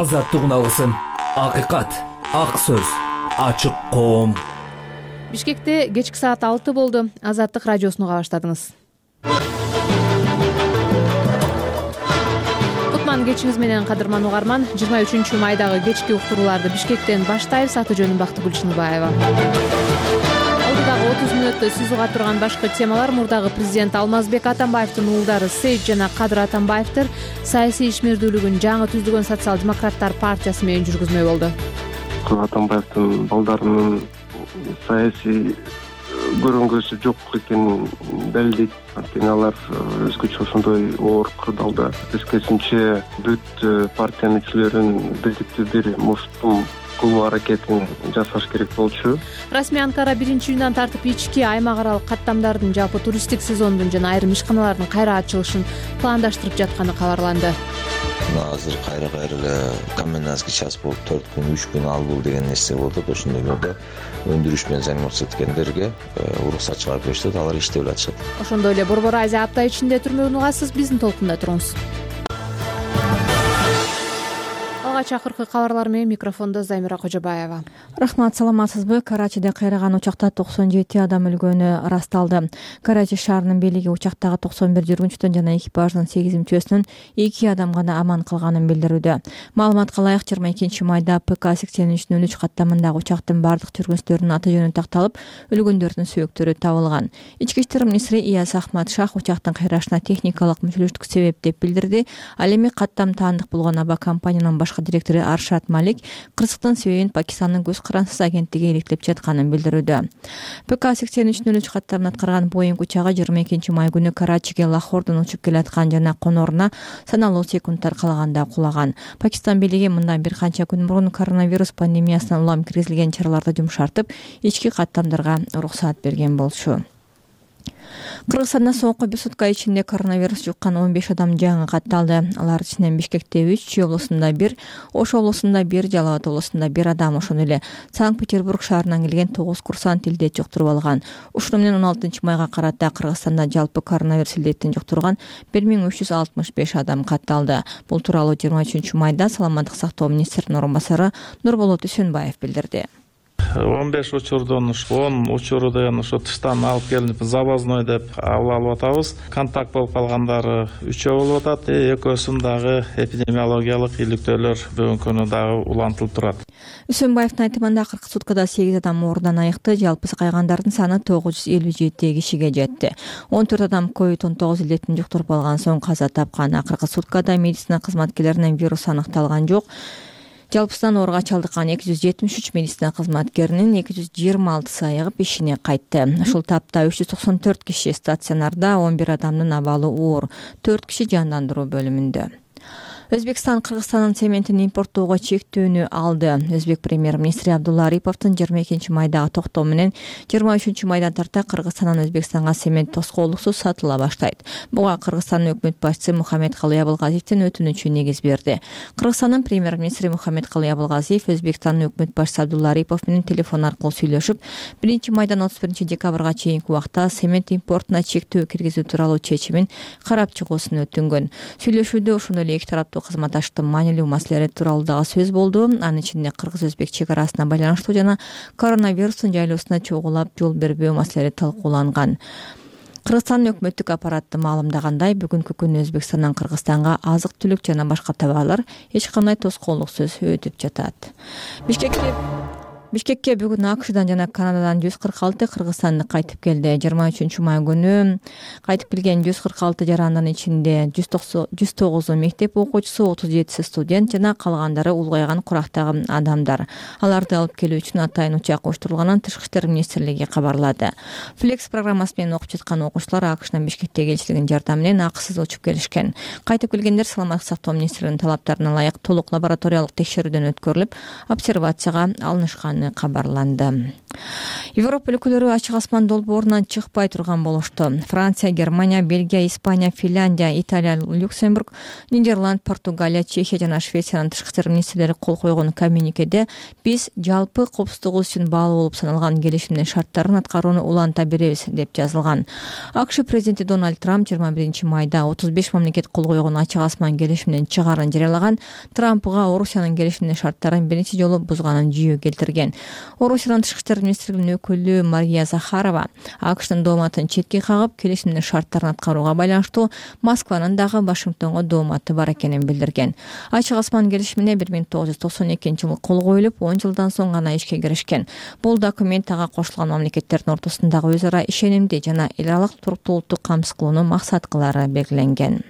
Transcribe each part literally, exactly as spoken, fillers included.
азаттык унасын. Акыйкат, ак сөз, ачык коом. Бишкекте кечки саат алты болду. Азаттык радиосуну уга баштадыңыз. Кутман кечиңиз менен, кадырман угарман. жыйырма үчүнчү майдагы кечки уктурууларды Бишкектен баштайбыз. Аты жөнүм Бактыгүл Чыныбаева. Алдыдагы отуз мүнөттө сиз уга турган башкы темалар: мурдагы президент Алмазбек Атамбаевдин уулдары Сейит жана Кадыр Атамбаевдер саясий ишмердүүлүгүн жаңы түзүлгөн социал-демократтар партиясы менен жүргүзмөй болду. Атамбаевдин балдарынын саясий көрүнгүсү жок экенин далилдейт. Анткени алар өзгөчө ошондой оор кырдаалда тескерисинче бүт партиянын ичилерин бирдиктүү бир муштум кылуу аракетин жасаш керек болчу. Расмий Анкара биринчи июндан тартып ички аймак аралык каттамдардын, жалпы туристтик сезондун жана айрым ишканалардын кайра ачылышын пландаштырып жатканы кабарланды. Азыр кайра-кайра эле комендантский час болуп төрт күн, үч күн ал бул деген нерсе болуп атат. Ошондойлордо өндүрүш менен займатчы эткендерге уруксат чыгарып беришет, алар иштеп атышат. Ошондой эле Борбор Азия апта ичинде түрмөгүн угасыз. Биздин толкунда туруңуз. Чакыркы кабарлар менен микрофондо Замира Кожобаева. Рахмат, саламатсызбы? Карачиде кайраган учакта токсон жети адам өлгөнү ырасталды. Карачи шаарынын бийлиги учактагы токсон бир жүргүнчүдөн жана экипаждын сегиз мүчөсүнүн эки адам гана аман калганын билдирүүдө. Маалыматка ылайык, жыйырма экинчи майда ПК сексен үч нөл үч каттамындагы учактын бардык жүргүнчүлөрүнүн аты жөнү такталып, өлгөндөрдүн сөөктөрү табылган. Ички иштер министри Ияз Ахмат Шах учактын кайрашына техникалык мүчөлүштүк себеп деп билдирди. Ал эми каттам таандык болгон авиакомпаниянын башкы директору Аршат Малик кырсыктын себебин Пакистандын көз карансыз агенттиги иликтеп жатканын билдирүүдө. ПК сексен үч нөл үч каттамын аткарган Боинг учагы жыйырма экинчи май күнү Карачиге Лахордон учуп келаткан жана конооруна саналуу секундтар калаганда кулаган. Пакистан бийлиги мындан бир канча күн мурун коронавирус пандемиясынан улам киргизилген чараларды жумшартып, ички каттамдарга уруксат берген болчу. Кыргызстанда соңку бир сутка ичинде коронавирус жуккан он беш адам жаңы катталды. Алар ичинен Бишкекте үч, Чүй облусунда бир, Ош облусунда бир, Жалал Абад облусунда бир адам, ошондой эле Санкт-Петербург шаарынан келген тогуз курсант илдет жуктуруп алган. Ушуну менен он алтынчы майга карата Кыргызстанда жалпы коронавирус илдетин жуктурган бир миң үч жүз алтымыш беш адам катталды. Бул тууралуу жыйырма үчүнчү майда Саламаттык сактоо министринин орун басары Нурболот Үсөнбаев билдирди. он беш учурдун он учурду ошо тыштан алып келинип завозной деп алып атабыз. Контакт болуп калгандары үчөө болуп атат. Экөөсүн дагы эпидемиологиялык иликтөөлөр бүгүнкү күнү дагы улантылып турат. Үсөнбаевдин айтымында кыркы суткада сегиз адам оорудан айыкты. Жалпы кайгандардын саны тогуз жүз элүү жети кишиге жетти. он төрт адам ковид он тогуз илдетин жуктуруп алган соң каза тапкан. Акыркы суткада медицина кызматкерлеринен вирус аныкталган жок. Жалпысынан ооруга чалдыккан эки жүз жетимиш үч медицина кызматкеринин эки жүз жыйырма алтысы айыгып ишине кайтты. Ушул тапта үч жүз токсон төрт киши стационарда, он бир адамдын абалы оор, төрт киши жандандыруу бөлүмүндө. Өзбекстан Кыргызстандын цементин импорттоого чектөөнү алды. Өзбек премьер-министри Абдулла Ариповдун жыйырма экинчи майдагы токтоо менен жыйырма үчүнчү майдан тарта Кыргызстандан Өзбекстанга цемент тоскоолуксуз сатыла баштайт. Буга Кыргызстандын өкмөт башчысы Мухаммедкалый Абылгазиевдин өтүнүчү негиз берди. Кыргызстандын премьер-министри Мухаммедкалый Абылгазиев Өзбекстандын өкмөт башчысы Абдулла Арипов менен телефон аркылуу сүйлөшүп, биринчи майдан отуз биринчи декабрга чейинки убакта цемент импортуна чектөө киргизүү тууралуу чечимин карап чыгуусун өтүнгөн. Сүйлөшүүдө ошондой эле эки тараптуу кызматташтыктын маанилүү маселелери тууралуу дагы сөз болду. Анын ичинде кыргыз-өзбек чек арасына байланыштуу жана коронавирустун жайлоосуна чогулап жол бербөө маселелери талкууланган. Кыргызстандын өкмөттүк аппараты маалымдагандай, бүгүнкү күнү Өзбекстандан Кыргызстанга азык-түлүк жана башка товарлар эч кандай тоскоолуксуз өтүп жатат. Бишкекке Бишкекке бүгүн АКШдан жана Канададан жүз кырк алты кыргызстандык кайтып келди. жыйырма үчүнчү май күнү кайтып келген жүз кырк алты жарандын ичинде жүз тогузу мектеп окуучусу, отуз жетиси студент жана калгандары улгайган курактагы адамдар. Аларды алып келүү үчүн атайын учак уюштурулганын Тышкы иштер министрлиги кабарлады. Флекс программасы менен окуп жаткан окуучулар АКШнын Бишкектеги элчилигинин жардамы менен акысыз учуп келишкен. Кайтып келгендер Саламаттык сактоо министрлигинин талаптарына ылайык толук лабораториялык текшерүүдөн өткөрүлүп, обсервацияга алынышканы кабарланды. Европа өлкөлөрү ачык асман долбоорунан чыкпай турган болушту. Франция, Германия, Бельгия, Испания, Финляндия, Италия, Люксембург, Нидерланд, Португалия, Чехия жана Швециянын тышкы иштер министрлери кол койгон коммюникеде биз жалпы коопсуздугубуз үчүн баалуу болуп саналган келишимдин шарттарын аткарууну уланта беребиз деп жазылган. АКШ президенти Дональд Трамп жыйырма биринчи майда отуз беш мамлекет кол койгон ачык асман келишиминин чыгаарын жарыялаган. Трампга Орусиянын келишимдин шарттарын биринчи жолу бузганын жүйө келтирген. Орусиянын тышкы иштер министрлигинин өкүлү Мария Захарова АКШтын дооматын четке кагып, келишимдин шарттарын аткарууга байланыштуу Москванын дагы Вашингтонго дооматы бар экенин билдирген. Ачык асман келишимине бир миң тогуз жүз токсон экинчи жылы кол коюлуп, он жылдан соң гана ишке киришкен. Бул документ ага кошулган мамлекеттердин ортосундагы өз ара ишенимди жана эл аралык туруктуулукту камсыз кылууну максат кылары белгиленген.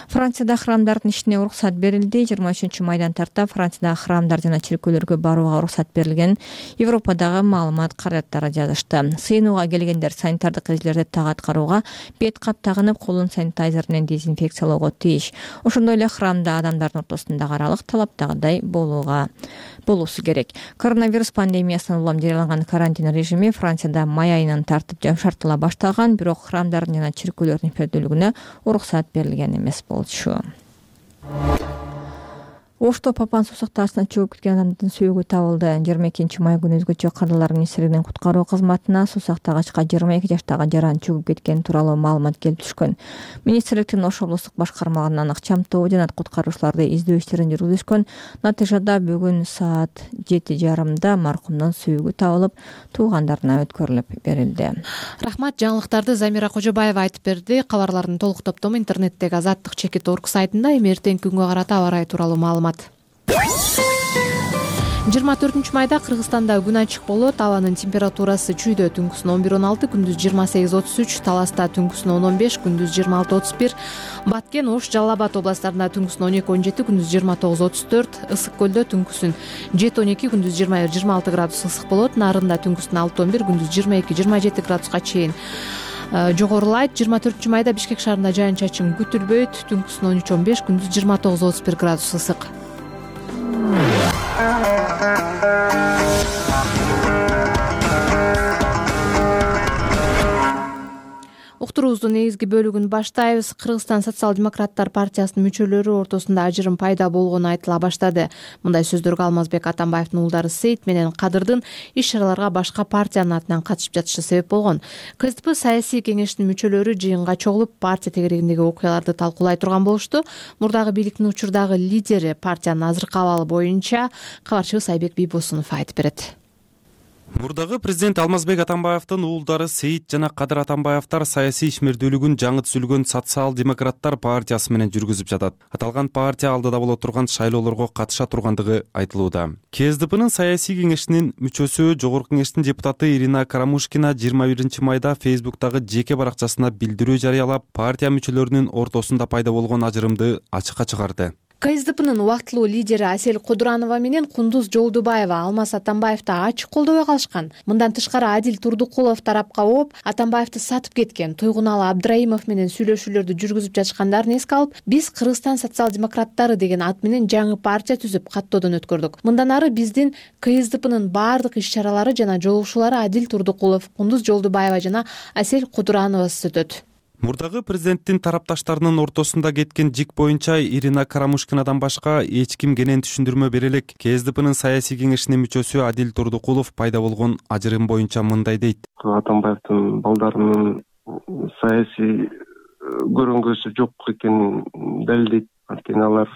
Францияда храмдардын ишине уруксат берилди. жыйырма үчүнчү майдан тарта Францияда храмдар жана чиркөөлөргө барууга уруксат берилген. Европадагы маалымат каражаттары жазышты. Сыйынууга келгендер санитардык эрежелерди так аткарууга, бет кап тагынып, колун санитайзер менен дезинфекциялоого тийиш. Ошондой эле храмда адамдардын ортосундагы аралык талаптагыдай болууга болуусу керек. Коронавирус пандемиясынан улам жарыяланган карантин режими Францияда май айынан тартып жумшартыла баштаган, бирок храмдардын жана чиркөөлөрдүн фердүүлүгүнө уруксат берилген эмес болчу. Ошто Папан суусак ташына чөгүп кеткен адамдын сөөгү табылды. жыйырма экинчи май күнү өзгөчө кадрлар министрлигинин куткаруу кызматына суусактагычка жыйырма эки жаштагы жаран чөгүп кеткени тууралуу маалымат келип түшкөн. Министрликтин Ош облустук башкармалыгынан ыкчамтоо жана куткаруучуларды издөө иштерин жүргүзүшкөн. Натыйжада бүгүн саат жети жарымда маркумдун сөөгү табылып, туугандарына өткөрүлүп берилди. Рахмат, жаңылыктарды Замира Кожобаева айтып берди. Кабарлардын толук топтому интернеттеги азаттык чекит точка орг сайтында эми эртеңки күнгө карата аба ырайы тууралуу маалымат. жыйырма төртүнчү майда Кыргызстанда күн ачык болот. Абанын температурасы чүйдө түнкүсүн он бир он алты, күндүз жыйырма сегиз отуз үч, Таласта түнкүсүн он он беш, күндүз жыйырма алты отуз бир, Баткен, Ош, Жалал Абад областарында түнкүсүн он эки он жети, күндүз жыйырма тогуз отуз төрт, Ысык көлдө түнкүсүн жети он эки, күндүз жыйырма бир жыйырма алты градус ысык болот. Нарында түнкүсүн алты он бир, күндүз жыйырма эки жыйырма жети градуска чейин жогорулайт. жыйырма төртүнчү майда Бишкек шаарында жаан чачын күтүлбөйт. Түнкүсүн он үч он беш, күндүз жыйырма тогуз отуз бир градус ысык. Уктуруубуздун негизги бөлүгүн баштайбыз. Кыргызстан социал-демократтар партиясынын мүчөлөрү ортосунда ажырым пайда болгону айтыла баштады. Мындай сөздөргө Алмазбек Атамбаевдин уулдары Сейит менен Кадырдын иш-чараларга башка партиянын атынан катышып жатышы себеп болгон. КСДП саясий кеңештин мүчөлөрү жыйынга чогулуп, партия тегерегиндеги окуяларды талкуулай турган болушту. Мурдагы бийликтин учурдагы лидери партиянын азыркы абалы боюнча кабарчыбыз Айбек Бийбосунов айтып берет. Мурдагы президент Алмазбек Атамбаевдин уулдары Сейит жана Кадыр Атамбаевдер саясий ишмердүүлүгүн жаңы түзүлгөн социал-демократтар партиясы менен жүргүзүп жатат. Аталган партия алдыда боло турган шайлоолорго катыша тургандыгы айтылууда. КСДПнын саясий кеңешинин мүчөсү, жогорку кеңештин депутаты Ирина Карамушкина жыйырма биринчи майда Фейсбуктагы жеке баракчасына билдирүү жарыялап, партия мүчөлөрүнүн ортосунда пайда болгон ажырымды ачыкка чыгарды. КСДПнын убактылуу лидери Асель Кудуранова менен Кундуз Жолдубаева Алмаз Атамбаевди ачык колдобой калышкан. Мындан тышкары Адил Турдукулов тарапка ооп, Атамбаевди сатып кеткен. Тойгуналы Абдраимов менен сүйлөшүүлөрдү жүргүзүп жатышкандарын эске алып, биз Кыргызстан социал-демократтары деген ат менен жаңы партия түзүп каттоодон өткөрдүк. Мындан ары биздин КСДПнын баардык иш-чаралары жана жолугушуулары Адил Турдукулов, Кундуз Жолдубаева жана Асель Кудурановасыз өтөт. Мурдагы президенттин тарапташтарынын ортосунда кеткен жик боюнча Ирина Карамушкинадан башка эч ким кенен түшүндүрмө бере элек. КСДПнын саясий кеңешинин мүчөсү Адил Турдукулов пайда болгон ажырым боюнча мындай дейт. Атамбаевдин балдарынын саясий көрөнгөсү жок экенин далилдейт. Анткени алар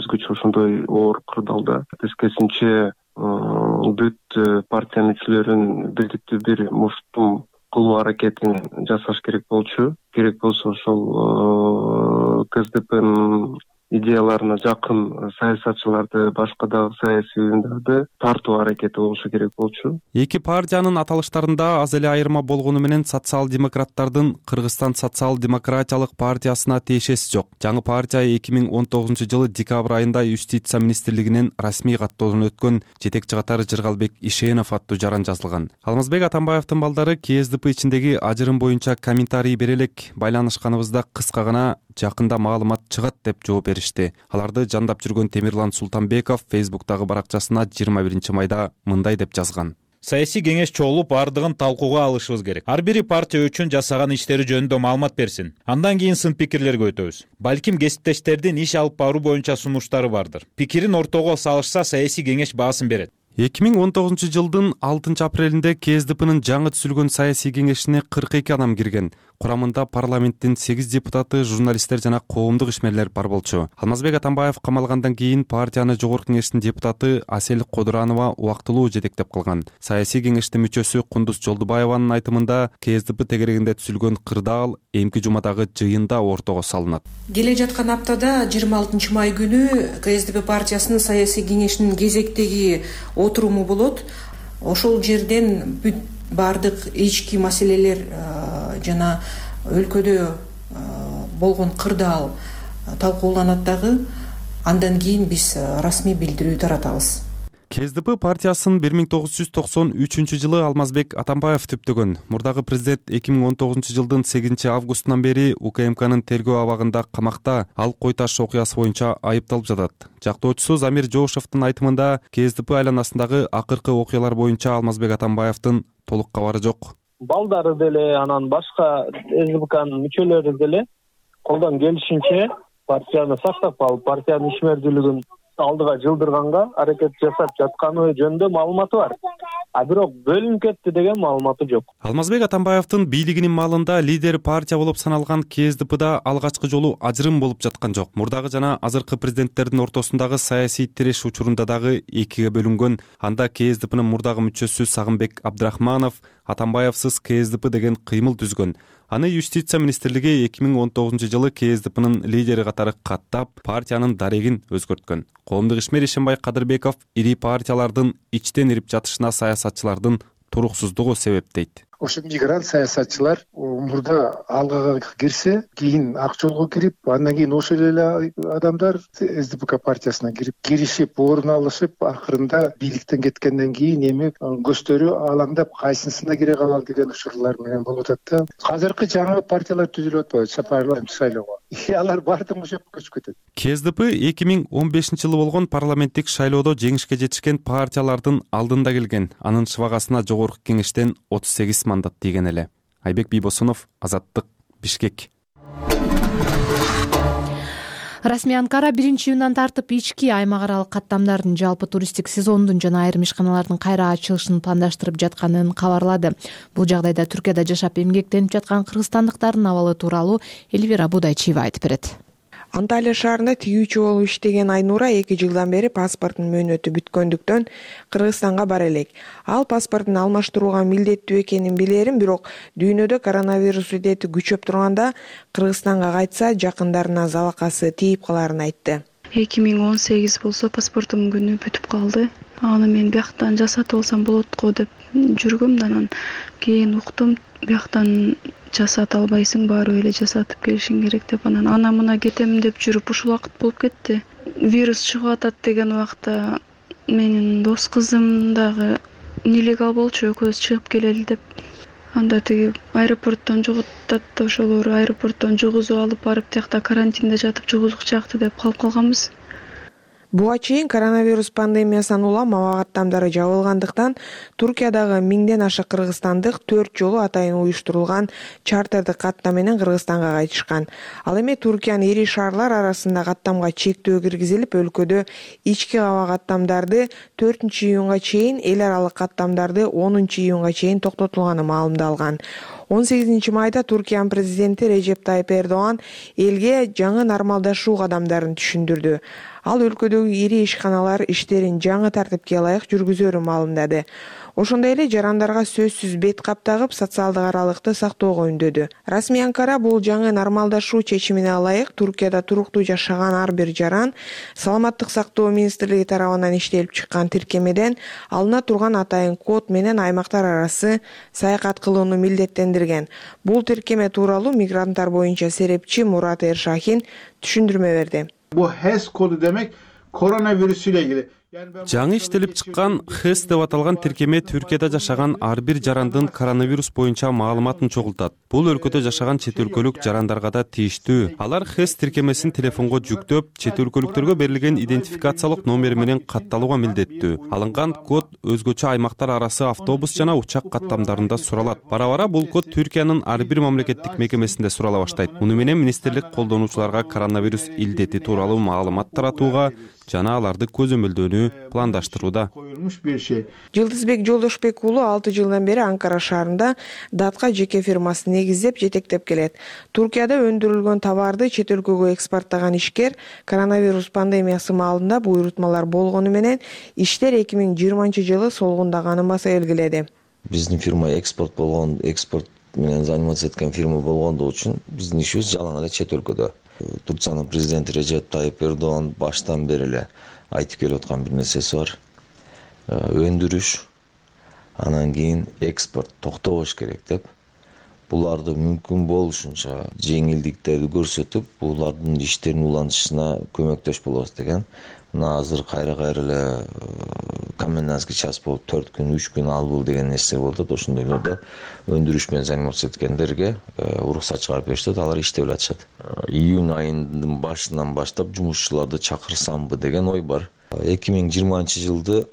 өзгөчө ошондой оор кырдаалда. Тескерисинче бүт партия мүчөлөрүн бирдиктүү бир муштум кылуу аракетин жасаш керек болчу. Керек болсо ошол КСДПнын идеяларына жакын саясатчыларды, башка дагы саясий уюмдарды тартуу аракети болушу керек болчу. Эки партиянын аталыштарында аз эле айырма болгону менен социал-демократтардын Кыргызстан социал-демократиялык партиясына тиешеси жок. Жаңы партия эки миң он тогузунчу жылы декабрь айында Юстиция министрлигинен расмий каттоодон өткөн жетекчи катары Жыргалбек Ишенов аттуу жаран жазылган. Алмазбек Атамбаевдин балдары КСДП ичиндеги ажырым боюнча комментарий бере элек, байланышканыбызда кыска гана жакында маалымат чыгат деп жооп беришти. Аларды жандап жүргөн Темирлан Султанбеков Фейсбуктагы баракчасына жыйырма биринчи майда мындай деп жазган. Саясий кеңеш чогулуп бардыгын талкууга алышыбыз керек. Ар бири партия үчүн жасаган иштери жөнүндө маалымат берсин. Андан кийин сын пикирлерге өтөбүз. Балким кесиптештердин иш алып баруу боюнча сунуштары бардыр. Пикирин ортого салышса, саясий кеңеш баасын берет. эки миң он тогузунчу жылдын алтынчы апрелинде КСДПнын жаңы түзүлгөн саясий кеңешине кырк эки адам кирген. Курамында парламенттин сегиз депутаты, журналисттер жана коомдук ишмерлер бар болчу. Алмазбек Атамбаев камалгандан кийин партияны жогорку кеңештин депутаты Асель Кодуранова убактылуу жетектеп калган. Саясий кеңештин мүчөсү Кундуз Жолдубаеванын айтымында КСДП тегерегинде түзүлгөн кырдаал эмки жумадагы жыйында ортого салынат. Келе жаткан аптада жыйырма алтынчы май күнү КСДП партиясынын саясий кеңешинин кезектеги отуруму болот. Ошол жерден бүт бардык ички маселелер жана өлкөдө болгон кырдаал талкууланат дагы. Андан кийин биз расмий билдирүү таратабыз. КСДП партиясын бир миң тогуз жүз токсон үчүнчү жылы Алмазбек Атамбаев түптөгөн. Мурдагы президент эки миң он тогузунчу жылдын сегизинчи августунан бери УКМКнын тергөө абагында камакта. Ал кой таш окуясы боюнча айыпталып жатат. Жактоочусу Замир Жоошевдун айтымында КСДП айланасындагы акыркы окуялар боюнча Алмазбек Атамбаевдин толук кабары жок. Балдары деле, анан башка СДПКнын мүчөлөрү деле колдон келишинче партияны сактап калып, партиянын ишмердүүлүгүн алдыга жылдырганга аракет жасап жатканы жөнүндө маалыматы бар. А бирок бөлүнүп кетти деген маалыматы жок. Алмазбек Атамбаевдин бийлигинин маалында лидер партия болуп саналган КСДПда алгачкы жолу ажырым болуп жаткан жок. Мурдагы жана азыркы президенттердин ортосундагы саясий тиреш учурунда дагы экиге бөлүнгөн. Анда КСДПнын мурдагы мүчөсү Сагынбек Абдрахманов Атамбаевсыз КСДП деген кыймыл түзгөн. Аны юстиция министрлиги эки миң он тогузунчу жылы КСДПнын лидери катары каттап, партиянын дарегин өзгөрткөн. Коомдук ишмер Ишенбай Кадырбеков ири партиялардын ичтен ирип жатышына саясатчылардын туруксуздугу себеп дейт. Ошо мигрант саясатчылар мурда алгага кирсе, кийин ак жолго кирип, андан кийин ошол эле адамдар СДПК партиясына кирип, киришип, орун алышып, акырында бийликтен кеткенден кийин эми көздөрү алаңдап, кайсынысына кире калалы деген учурлар менен болуп атат да. Азыркы жаңы партиялар түзүлүп атпайбы, парламент шайлоого. Алар бардыгы ошо жака көчүп кетет. КСДП эки миң он бешинчи жылы болгон парламенттик шайлоодо жеңишке жетишкен партиялардын алдында келген. Анын шыбагасына жогорку кеңештен отуз сегиз мандат тийген эле. Айбек Бийбосунов, Азаттык, Бишкек. Расмий Анкара биринчи июндан тартып ички аймак аралык каттамдардын жалпы туристтик сезондун жана айрым ишканалардын кайра ачылышын пландаштырып жатканын кабарлады. Бул жагдайда Түркияда жашап эмгектенип жаткан кыргызстандыктардын абалы тууралуу Эльвира Будайчиева айтып берет. Анталия шаарында тигүүчү болуп иштеген Айнура эки жылдан бери паспорттун мөөнөтү бүткөндүктөн Кыргызстанга бара элек. Ал паспортун алмаштырууга милдеттүү экенин билерин, бирок дүйнөдө коронавирус илдети күчөп турганда Кыргызстанга кайтса жакындарына залакасы тийип каларын айтты. эки миң он сегиз болсо паспортумдун күнү бүтүп калды. Аны мен бияктан жасатып алсам болот го деп жүргөм, анан кийин уктум, бияктан жасата албайсың, баары эле жасатып келишиң керек деп, анан ана мына кетем деп жүрүп ушул убакыт болуп кетти. Вирус чыгып атат деген убакта менин дос кызым дагы нелегал болчу, экөөбүз чыгып келели деп. Анда тиги аэропорттон жоготат, ошолору аэропорттон жугузуп алып барып, тиякта карантинде жатып жугузукчакты деп калып калганбыз. Буга чейин коронавирус пандемиясынан улам аба каттамдары жабылгандыктан Туркиядагы миңден аша кыргызстандык төрт жолу атайын уюштурулган чартердик каттам менен Кыргызстанга кайтышкан. Ал эми Туркиянын ири шаарлар арасында каттамга чектөө киргизилип, өлкөдө ички аба каттамдарды төртүнчү июнга чейин, эл аралык каттамдарды онунчу июнга чейин токтотулганы маалымдалган. он сегизинчи майда Туркиянын президенти Режеп Тайип Эрдоган элге жаңы нормалдашуу кадамдарын түшүндүрдү. Ал өлкөдөгү ири ишканалар иштерин жаңы тартипке ылайык жүргүзөрүн маалымдады. Ошондой эле жарандарга сөзсүз бет кап тагып, социалдык аралыкты сактоого үндөдү. Расмий Анкара бул жаңы нормалдашуу чечимине ылайык Туркияда туруктуу жашаган ар бир жаран Саламаттык сактоо министрлиги тарабынан иштелип чыккан тиркемеден алына турган атайын код менен аймактар арасы саякат кылууну милдеттендирген. Бул тиркеме тууралуу мигранттар боюнча серепчи Мурат Эршахин түшүндүрмө берди. Bu H kodu demek koronavirüs ile ilgili. жаңы иштелип чыккан хэс деп аталган тиркеме Түркияда жашаган ар бир жарандын коронавирус боюнча маалыматын чогултат. Бул өлкөдө жашаган чет өлкөлүк жарандарга да тийиштүү. Алар хэс тиркемесин телефонго жүктөп, чет өлкөлүктөргө берилген идентификациялык номери менен катталууга милдеттүү. Алынган код өзгөчө аймактар арасы автобус жана учак каттамдарында суралат. Бара-бара бул код Түркиянын ар бир мамлекеттик мекемесинде сурала баштайт. Муну менен министрлик колдонуучуларга коронавирус илдети тууралуу маалымат таратууга жана аларды көзөмөлдөөнү пландаштырууда. Жылдызбек Жолдошбек уулу алты жылдан бери Анкара шаарында датка жеке фирмасын негиздеп жетектеп келет. Туркияда өндүрүлгөн товарды чет өлкөгө экспорттаган ишкер коронавирус пандемиясы маалында буйрутмалар болгону менен иштер эки миң жыйырманчы жылы солгундаганын баса белгиледи. Биздин фирма экспорт болгон, экспорт менен заниматься эткен фирма болгондугу үчүн биздин ишибиз жалаң эле чет өлкөдө. Турциянын президенти Режеп Тайип Эрдоган баштан бери эле айтып келип аткан бир нерсеси бар. Өндүрүш, анан кийин экспорт токтобош керек деп. Буларды мүмкүн болушунча жеңилдиктерди көрсөтүп, булардын иштерин улантышына көмөктөш болобуз деген. Мына азыр кайра-кайра эле комендантский час болуп төрт күн, үч күн албыл деген нерсе болуп атат. Ошондойлордо өндүрүш менен заниматься эткендерге уруксат чыгарып беришет, алар иштеп атышат. Июнь айынын башынан баштап жумушчуларды чакырсамбы деген ой бар. эки миң жыйырманчы жылды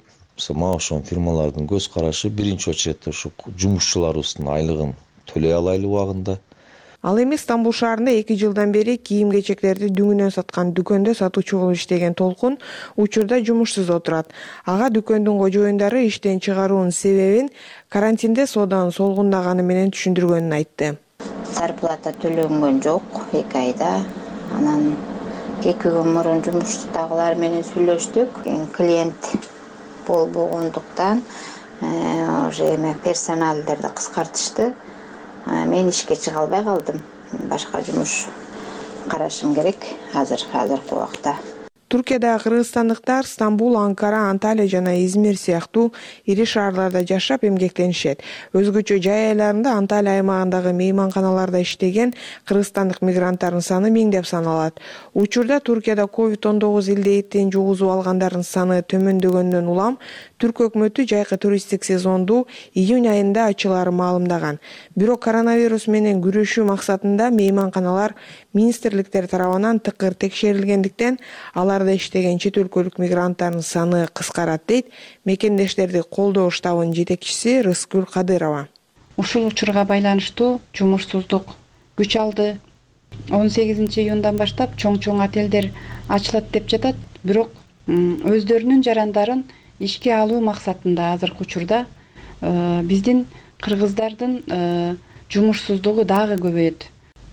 мага ошон фирмалардын көз карашы биринчи очередде ушу жумушчуларыбыздын айлыгын төлөй алайлы убагында. Ал эми Стамбул шаарында эки жылдан бери кийим-кечектерди дүңүнөн саткан дүкөндө сатуучу болуп иштеген Толкун учурда жумушсуз отурат. Ага дүкөндүн кожоюндары иштен чыгаруунун себебин карантинде сооданын солгундаганы менен түшүндүргөнүн айтты. Зарплата төлөнгөн жок эки айда. Анан эки күн мурун жумуштагылар менен сүйлөштүк. Клиент болбогондуктан уже эме персоналдерди кыскартышты. Мен ишке чыга албай калдым. Башка жумуш карашым керек азыр азыркы убакта. Туркияда кыргызстандыктар Стамбул, Анкара, Анталия жана Измир сыяктуу ири шаарларда жашап эмгектенишет. Өзгөчө жай айларында Анталия аймагындагы мейманканаларда иштеген кыргызстандык мигранттардын саны миңдеп саналат. Учурда Туркияда ковид он тогуз илдетин жугузуп алгандардын саны төмөндөгөндөн улам Түрк өкмөтү жайкы туристтик сезонду июнь айында ачылаарын маалымдаган. Бирок коронавирус менен күрөшүү максатында мейманканалар министрликтер тарабынан тыкыр текшерилгендиктен аларда иштеген чет өлкөлүк мигранттардын саны кыскарат дейт мекендештерди колдоо штабынын жетекчиси Рыскүл Кадырова. Ушул учурга байланыштуу жумушсуздук күч алды. он сегизинчи июндан баштап чоң-чоң отелдер ачылат деп жатат. Бирок өздөрүнүн жарандарын ишке алуу максатында азыркы учурда биздин кыргыздардын жумушсуздугу дагы көбөйөт.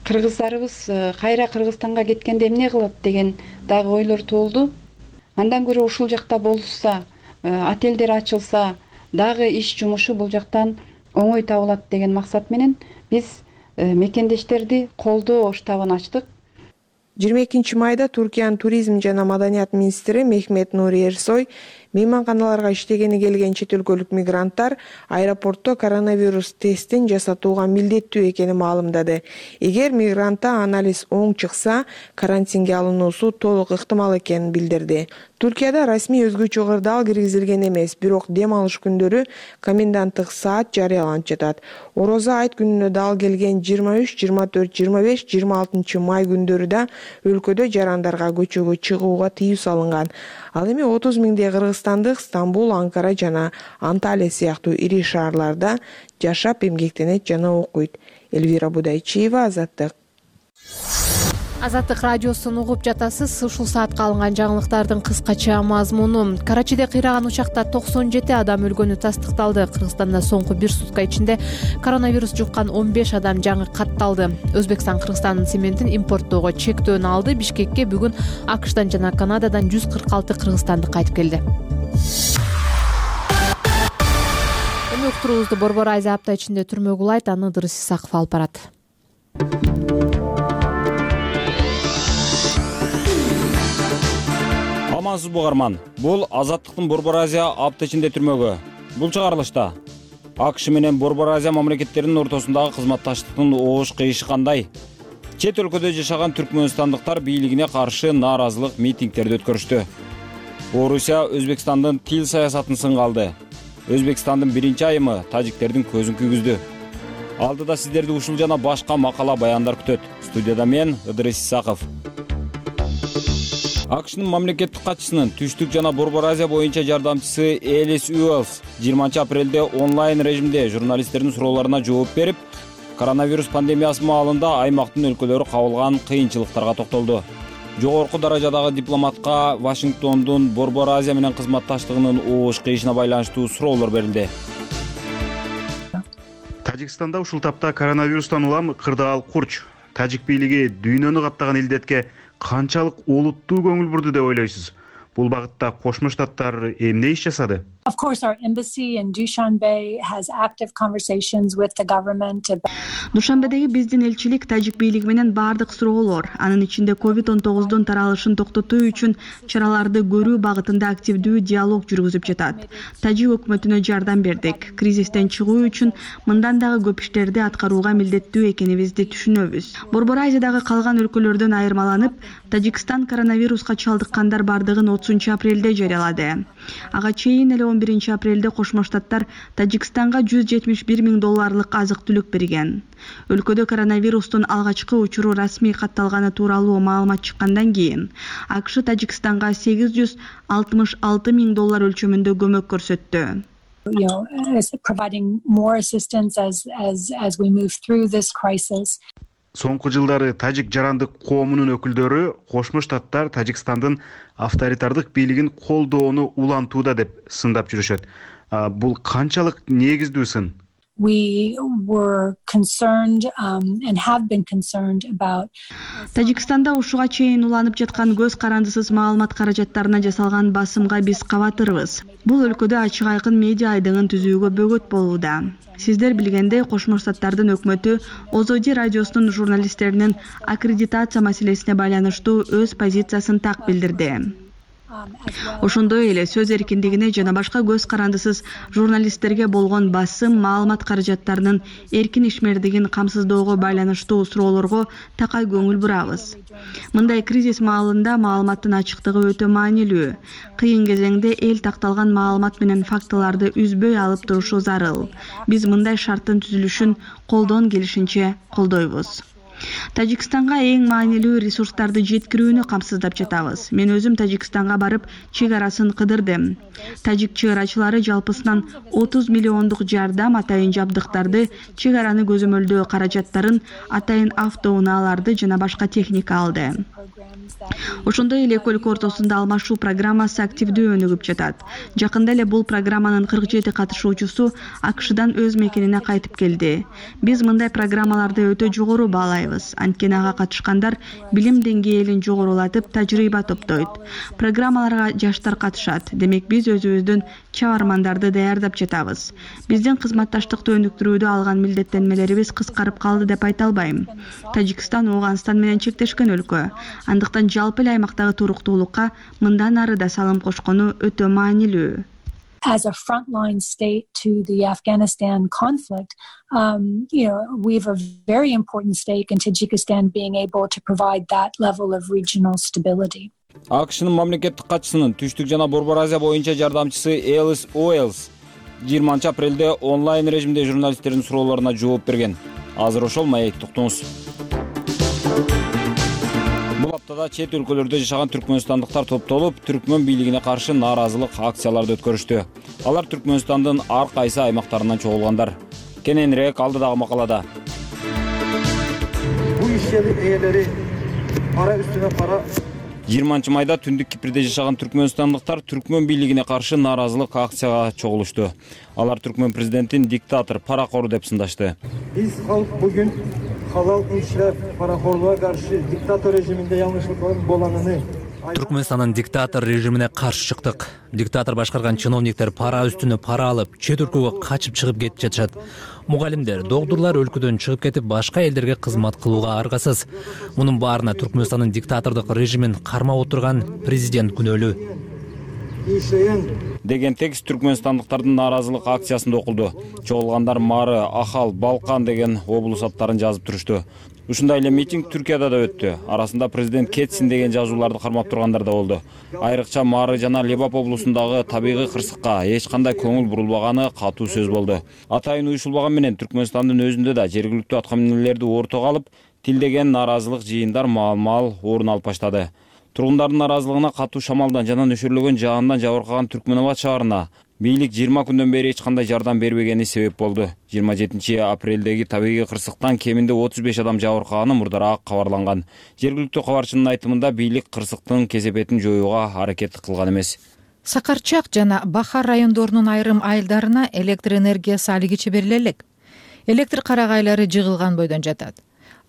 Кыргыздарыбыз кайра Кыргызстанга кеткенде эмне кылат деген дагы ойлор туулду. Андан көрө ушул жакта болушса, отелдер ачылса, дагы иш жумушу бул жактан оңой табылат деген максат менен биз мекендештерди колдоо штабын ачтык. жыйырма экинчи майда Туркиянын туризм жана маданият министри Мехмет Нури Эрсой мейманканаларга иштегени келген чет өлкөлүк мигранттар аэропортто коронавирус тестин жасатууга милдеттүү экенин маалымдады. Эгер мигрантта анализ оң чыкса, карантинге алынуусу толук ыктымал экенин билдирди. Туркияда расмий өзгөчө кырдаал киргизилген эмес, бирок дем алыш күндөрү коменданттык саат жарыяланып жатат. Орозо айт күнүнө дал келген жыйырма үч, жыйырма төрт, жыйырма беш, жыйырма алтынчы май күндөрү да өлкөдө жарандарга көчөгө чыгууга тыюу салынган. Ал эми отуз миңдей кыргызстандык Стамбул, Анкара жана Анталия сыяктуу ири шаарларда жашап эмгектенет жана окуйт. Элвира Будайчиева, Азаттык. Азаттык радиосун угуп жатасыз. Ушул саатка алынган жаңылыктардын кыскача мазмуну. Карачиде кыйраган учакта токсон жети адам өлгөнү тастыкталды. Кыргызстанда соңку бир сутка ичинде коронавирус жуккан он беш адам жаңы катталды. Өзбекстан Кыргызстандын цементин импорттоого чектөөнү алды. Бишкекке бүгүн АКШтан жана Канададан жүз кырк алты кыргызстандык кайтып келди. Эми уктуруубузду Борбор Азия апта ичинде түрмөгү улайт, аны Ыдырыс Исаков алып барат. Амансыз бугарман. Бул Азаттыктын Борбор Азия апта ичинде түрмөгү. Бул чыгарылышта АКШ менен Борбор Азия мамлекеттеринин ортосундагы кызматташтыктын оош кыйышы кандай? Чет өлкөдө жашаган түркмөнстандыктар бийлигине каршы нааразылык митингдерди өткөрүштү. Орусия Өзбекстандын тил саясатын сынга алды. Өзбекстандын биринчи айымы тажиктердин көзүн күйгүздү. Алдыда сиздерди ушул жана башка макала баяндар күтөт. Студияда мен Ыдырыс Исаков. АКШнын мамлекеттик катчысынын Түштүк жана Борбор Азия боюнча жардамчысы Элис Уэллс жыйырманчы апрелде онлайн режимде журналисттердин суроолоруна жооп берип, коронавирус пандемиясы маалында аймактын өлкөлөрү кабылган кыйынчылыктарга токтолду. Жогорку даражадагы дипломатка Вашингтондун Борбор Азия менен кызматташтыгынын оош кыйышына байланыштуу суроолор берилди. Тажикстанда ушул тапта коронавирустан улам кырдаал курч. Тажик бийлиги дүйнөнү каптаган илдетке канчалык олуттуу көңүл бурду деп ойлойсуз? Бул багытта Кошмо Штаттар эмне иш жасады? Of course, our embassy in Dushanbe has active conversations with the government about... Душанбедеги биздин элчилик тажик бийлиги менен бардык суроолор, анын ичинде ковид он тогуздун таралышын токтотуу үчүн чараларды көрүү багытында активдүү диалог жүргүзүп жатат. Тажик өкмөтүнө жардам бердик. Кризистен чыгуу үчүн мындан дагы көп иштерди аткарууга милдеттүү экенибизди түшүнөбүз. Борбор Азиядагы калган өлкөлөрдөн айырмаланып, Тажикстан коронавируска чалдыккандар бардыгын отузунчу апрелде жарыялады. Ага чейин эле он биринчи апрелде Кошмо Штаттар Тажикстанга жүз жетимиш бир миң долларлык азык-түлүк берген. Өлкөдө коронавирустун алгачкы учуру расмий катталганы тууралуу маалымат чыккандан кийин АКШ Тажикстанга сегиз жүз алтымыш алты миң доллар өлчөмүндө көмөк көрсөттү. You know, providing more assistance as as as we move through this crisis. Соңку жылдары тажик жарандык коомунун өкүлдөрү Кошмо Штаттар Тажикстандын авторитардык бийлигин колдоону улантууда деп сындап жүрүшөт. Бул канчалык негиздүү сын? We were concerned um, and have been concerned about Тажикстанда ушуга чейин уланып жаткан көз карандысыз маалымат каражаттарына жасалган басымга биз кабатырбыз. Бул өлкөдө ачык айкын медиа айдыңын түзүүгө бөгөт болууда. Сиздер билгендей, Кошмо Штаттардын өкмөтү Озоди радиосунун журналисттеринин аккредитация маселесине байланыштуу өз позициясын так билдирди. Ошондой эле сөз эркиндигине жана башка көз карандысыз журналисттерге болгон басым, маалымат каражаттарынын эркин ишмердигин камсыздоого байланыштуу суроолорго такай көңүл бурабыз. Мындай кризис маалында маалыматтын ачыктыгы өтө маанилүү. Кыйын кезеңде эл такталган маалымат менен фактыларды үзбөй алып турушу зарыл. Биз мындай шарттын түзүлүшүн колдон келишинче колдойбуз. Тажикстанга эң маанилүү ресурстарды жеткирүүнү камсыздап жатабыз. Мен өзүм Тажикстанга барып, чек арасын кыдырдым. Тажик чек арачылары жалпысынан отуз миллиондук жардам, атайын жабдыктарды, чек араны көзөмөлдөө каражаттарын, атайын автоунааларды жана башка техника алды. Ошондой эле эки өлкө ортосунда алмашуу программасы активдүү өнүгүп жатат. Жакында эле бул программанын кырк жети катышуучусу АКШдан өз мекенине кайтып келди. Биз мындай программаларды өтө жогору баалайбыз. Анткени ага катышкандар билим деңгээлин жогорулатып, тажрыйба топтойт. Программаларга жаштар катышат. Демек биз өзүбүздүн чабармандарды даярдап жатабыз. Биздин кызматташтыкты өнүктүрүүдө алган милдеттенмелерибиз кыскарып калды деп айта албайм. Тажикстан Ооганстан менен чектешкен өлкө. Андыктан жалпы эле аймактагы туруктуулукка мындан ары да салым кошкону өтө маанилүү. As a frontline state to the Afghanistan conflict, um, you know, we have a very important stake in Tajikistan being able to provide that level of regional stability. АКШнын мамлекеттик катчысынын Түштүк жана Борбор Азия боюнча жардамчысы Элис Уэллс жыйырманчы апрелде онлайн режимде журналисттердин суроолоруна жооп берген. Азыр ошол маекти уктуңуз. Бул аптада чет өлкөлөрдө жашаган түркмөнстандыктар топтолуп, түркмөн бийлигине каршы нааразылык акцияларды өткөрүштү. Алар Түркмөнстандын ар кайсы аймактарынан чогулгандар. Кененирээк алдыдагы макалада. Бул ишчилик ээлери пара үстүнө пара жыйырманчы майда Түндүк Кипрде жашаган түркмөнстандыктар түркмөн бийлигине каршы нааразылык акцияга чогулушту. Алар түркмөн президентин диктатор, паракор деп сындашты. Биз халк бүгүн халал ишрaf паракорлуğa каршы диктатор режиминде яңышылык болганын Түркмөнстандын диктатор режимине каршы чыктык. Диктатор башкарган чиновниктер пара үстүнө пара алып, чет өлкөгө качып чыгып кетип жатышат. Мугалимдер, доктурлар өлкөдөн чыгып кетип, башка элдерге кызмат кылууга аргасыз. Мунун баарына Түркмөнстандын диктатордук режимин кармап отурган президент күнөөлүү деген текст түркмөнстандыктардын нааразылык акциясында окулду. Чогулгандар Мары, Ахал, Балкан деген облус аттарын жазып турушту. Ушундай эле митинг Түркияда да өттү. Арасында президент кетсин деген жазууларды кармап тургандар да болду. Айрыкча Мары жана Лебап облусундагы табигый кырсыкка эч кандай көңүл бурулбаганы катуу сөз болду. Атайын уюшулбаган менен Түркмөнстандын өзүндө да жергиликтүү аткаминерлерди ортого алып, тилдеген нааразылык жыйындар маал-маал орун алып баштады. Тургундардын нааразылыгына катуу шамалдан жана нөшөрлөгөн жаандан жабыркаган Түркмөнабад шаарына бийлик жыйырма күндөн бери эч кандай жардам бербегени себеп болду. жыйырма жетинчи апрелдеги табигый кырсыктан кеминде отуз беш адам жабыркаганы мурдараак кабарланган. Жергиликтүү кабарчынын айтымында бийлик кырсыктын кесепетин жоюуга аракет кылган эмес. Сакарчак жана Бахар райондорунун айрым айылдарына электр энергиясы али кече бериле элек. Электр карагайлары жыгылган бойдон жатат.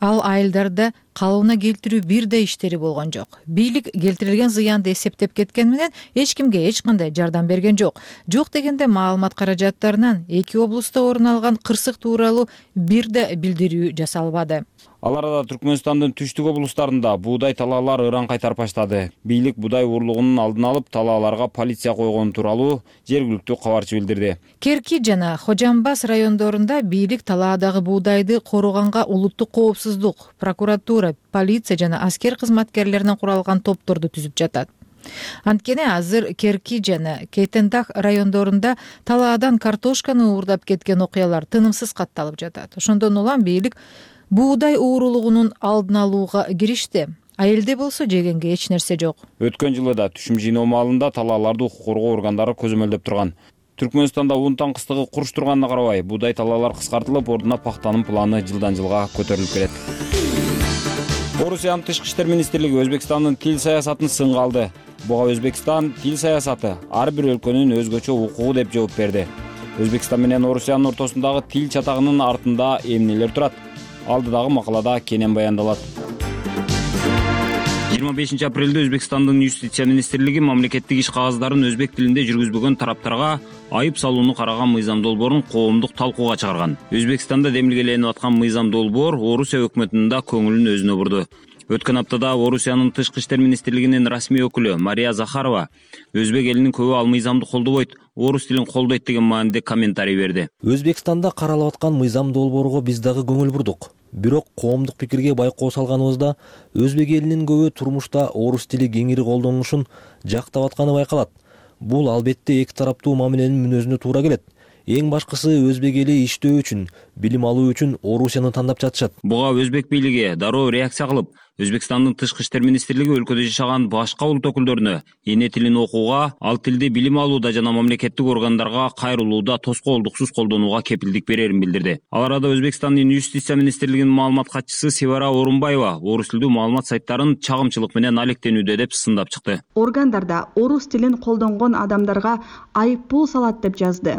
Ал айылдарда калыбына келтирүү бир да иштери болгон жок. Бийлик келтирилген зыянды эсептеп кеткен менен эч кимге эч кандай жардам берген жок. Жок дегенде маалымат каражаттарынан эки облуста орун алган кырсык тууралуу бир да билдирүү жасалбады. Ал арада Түркмөнстандын түштүк облустарында буудай талаалар ыран кайтарып баштады. Бийлик буудай уурлугунун алдын алып, талааларга полиция койгон тууралуу жергиликтүү кабарчы билдирди. Керки жана Хожамбас райондорунда бийлик талаадагы буудайды коруганга улуттук коопсуздук, прокуратура, полиция жана аскер кызматкерлеринен куралган топторду түзүп жатат. Анткени азыр Керки жана Кейтендах райондорунда талаадан картошканы уурдап кеткен окуялар тынымсыз катталып жатат. Ошондон улам бийлик буудай уурулугунун алдын алууга киришти. Айылде болсо жегенге эч нерсе жок. Өткөн жылы да түшүм жыйноо маалында талааларды укук коргоо органдары көзөмөлдөп турган. Түркмөнстанда ун таңкыстыгы куруш турганына карабай, буудай талаалар кыскартылып, ордуна пахтанын планы жылдан жылга көтөрүлүп келет. Орусиянын тышкы иштер министрлиги Өзбекстандын тил саясатын сынга алды. Буга Өзбекстан тил саясаты ар бир өлкөнүн өзгөчө укугу деп жооп берди. Өзбекстан менен Орусиянын ортосундагы тил чатагынын артында эмнелер турат? Алдыдагы макалада кенен баяндалат. жыйырма бешинчи апрелде Өзбекстандын юстиция министрлиги мамлекеттик иш кагаздарын өзбек тилинде жүргүзбөгөн тараптарга айып салууну караган мыйзам долбоорун коомдук талкууга чыгарган. Өзбекстанда демилгеленип аткан мыйзам долбоор Орусия өкмөтүнүн да көңүлүн өзүнө бурду. Өткөн аптада Орусиянын тышкы иштер министрлигинин расмий өкүлү Мария Захарова өзбек элинин көбү ал мыйзамды колдобойт, орус тилин колдойт деген мааниде комментарий берди. Өзбекстанда каралып аткан мыйзам долбоорго биз дагы көңүл бурдук. Бирок коомдук пикирге байкоо салганыбызда өзбек элинин көбү турмушта орус тили кеңири колдонулушун жактап атканы байкалат. Бул албетте эки тараптуу мамиленин мүнөзүнө туура келет. Эң башкысы өзбек эли иштөө үчүн, билим алуу үчүн Орусияны тандап жатышат. Буга өзбек бийлиги дароо реакция кылып, Өзбекстандын тышкы иштер министрлиги өлкөдө жашаган башка улут өкүлдөрүнө эне тилин окууга, ал тилди билим алууда жана мамлекеттик органдарга кайрылууда тоскоолдуксуз колдонууга кепилдик берерин билдирди. Ал арада Өзбекстандын юстиция министрлигинин маалымат катчысы Севара Орунбаева орус тилдүү маалымат сайттарын чагымчылык менен алектенүүдө деп сындап чыкты. Органдарда орус тилин колдонгон адамдарга айыппул салат деп жазды.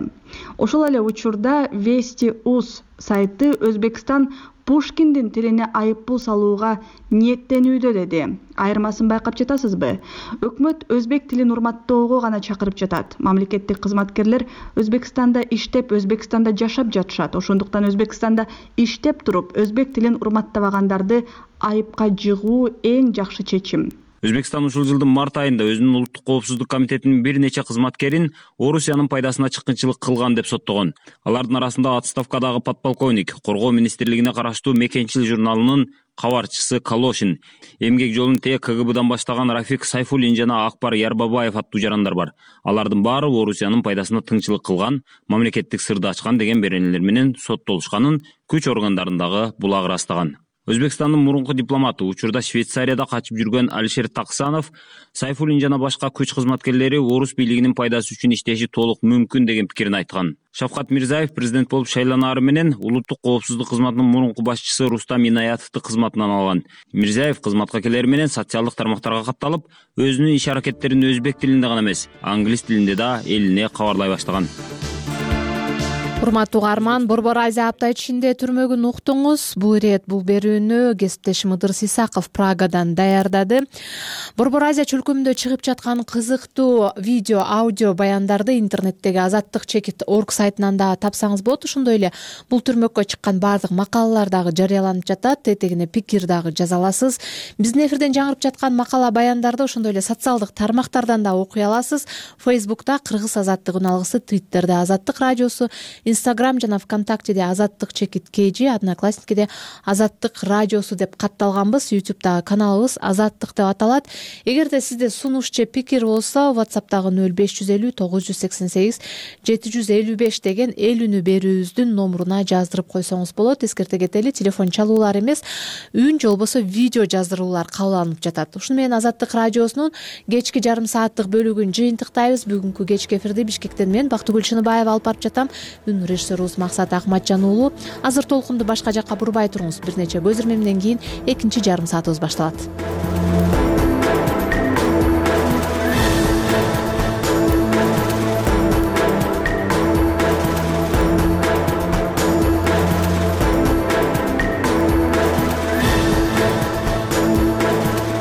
Ошол эле учурда Вести.уз сайты Өзбекстан Пушкиндин тилине айыппул салууга ниеттенүүдө деди. Айырмасын байкап жатасызбы? Өкмөт өзбек тилин урматтоого гана чакырып жатат. Мамлекеттик кызматкерлер Өзбекстанда иштеп, Өзбекстанда жашап жатышат. Ошондуктан Өзбекстанда иштеп туруп, өзбек тилин урматтабагандарды айыпка жыгуу эң жакшы чечим. Өзбекстан ушул жылдын март айында өзүнүн улуттук коопсуздук комитетинин бир нече кызматкерин Орусиянын пайдасына чыккынчылык кылган деп соттогон. Алардын арасында отставкадагы подполковник, коргоо министрлигине караштуу Мекенчил журналынын кабарчысы Калошин, эмгек жолун те КГБдан баштаган Рафик Сайфуллин жана Акбар Ярбабаев аттуу жарандар бар. Алардын баары Орусиянын пайдасына тыңчылык кылган, мамлекеттик сырды ачкан деген беренелер менен соттолушканын күч органдарындагы булагы ырастаган. Өзбекстандын мурунку дипломаты, учурда Швейцарияда качып жүргөн Алишер Таксанов, Сайфуллин жана башка күч кызматкерлери орус бийлигинин пайдасы үчүн иштеши толук мүмкүн деген пикирин айткан. Шавкат Мирзаев президент болуп шайланаары менен улуттук коопсуздук кызматынын мурунку башчысы Рустам Инаятовду кызматынан алган. Мирзаев кызматка келери менен социалдык тармактарга катталып, өзүнүн иш аракеттерин өзбек тилинде гана эмес, англис тилинде да элине кабарлай баштаган. Урматтуу угарман, Борбор Азия апта ичинде түрмөгүн уктуңуз. Бул ирет бул берүүнү кесиптешим Ыдырыс Исаков Прагадан даярдады. Борбор Азия чөлкөмүндө чыгып жаткан кызыктуу видео, аудио баяндарды интернеттеги азаттык чекит точка орг сайтынан да тапсаңыз болот. Ошондой эле бул түрмөккө чыккан баардык макалалар дагы жарыяланып жатат. Тетегине пикир дагы жаза аласыз. Биздин эфирден жаңырып жаткан макала баяндарды ошондой эле социалдык тармактардан да окуй аласыз. Фейсбукта Кыргыз азаттык үн алгысы, Твиттерде Азаттык радиосу, Instagram жана ВКонтактеде Азаттык чекит kg, Одноклассникиде Азаттык радиосу деп катталганбыз. YouTube'дагы каналыбыз Азаттык деп аталат. Эгерде сизде сунуш же пикир болсо, WhatsApp'тагы нөл беш жүз элүү тогуз жүз сексен сегиз жети жүз элүү беш деген эл үнү берүүбүздүн номуруна жаздырып койсоңуз болот. Эскерте кетели, телефон чалуулар эмес, үн же болбосо видео жаздыруулар кабыл алынып жатат. Ушуну менен Азаттык радиосунун кечки жарым сааттык бөлүгүн жыйынтыктайбыз. Бүгүнкү кечки эфирди Бишкектен мен Бактыгүл Чыныбаева алып барып жатам. Үн режиссерубуз Максат Акматжан уулу. Азыр толкунду башка жакка бурбай туруңуз. Бир нече көз ирмемден кийин экинчи жарым саатыбыз башталат.